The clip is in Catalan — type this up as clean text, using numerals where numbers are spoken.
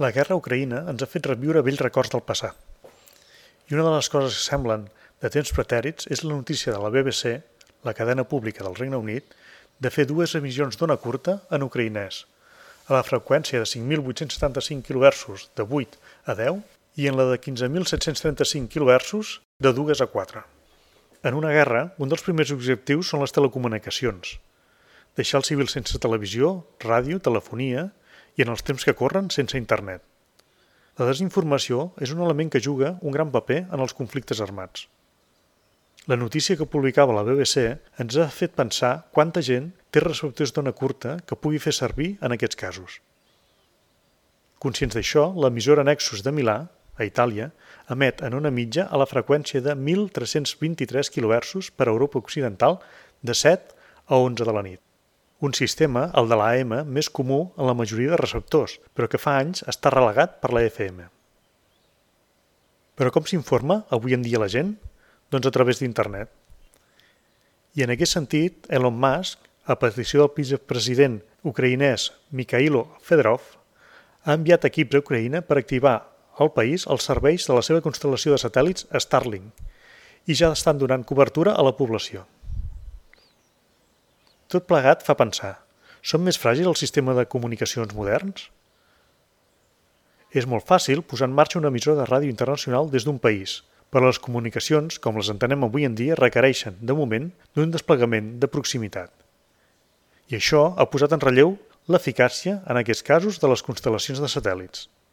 La guerra a Ucraïna ens ha fet reviure vells records del passat. I una de les coses que semblen de temps pretèrits és la notícia de la BBC, la cadena pública del Regne Unit, de fer dues emissions d'ona curta en ucraïnès, a la freqüència de 5.875 kHz de 8 a 10 i en la de 15.735 kHz de 2 a 4. En una guerra, un dels primers objectius són les telecomunicacions. Deixar els civils sense televisió, ràdio, telefonia i en els temps que corren sense internet. La desinformació és un element que juga un gran paper en els conflictes armats. La notícia que publicava la BBC ens ha fet pensar quanta gent té receptors d'ona curta que pugui fer servir en aquests casos. Conscients d'això, l'emissora Nexus de Milà, a Itàlia, emet en ona mitja a la freqüència de 1.323 kHz per a Europa Occidental de 7 a 11 de la nit. Un sistema, el de la AM, més comú en la majoria de receptors, però que fa anys està relegat per la FM. Però com s'informa avui en dia la gent? Doncs a través d'internet. I en aquest sentit, Elon Musk, a petició del vicepresident ucraïnès Mikhailo Fedorov, ha enviat equips a Ucraïna per activar al país els serveis de la seva constel·lació de satèl·lits Starlink i ja estan donant cobertura a la població. Tot plegat fa pensar, són més fràgils el sistema de comunicacions moderns? És molt fàcil posar en marxa una emissora de ràdio internacional des d'un país, però les comunicacions, com les entenem avui en dia, requereixen, de moment, d'un desplegament de proximitat. I això ha posat en relleu l'eficàcia, en aquests casos, de les constel·lacions de satèl·lits.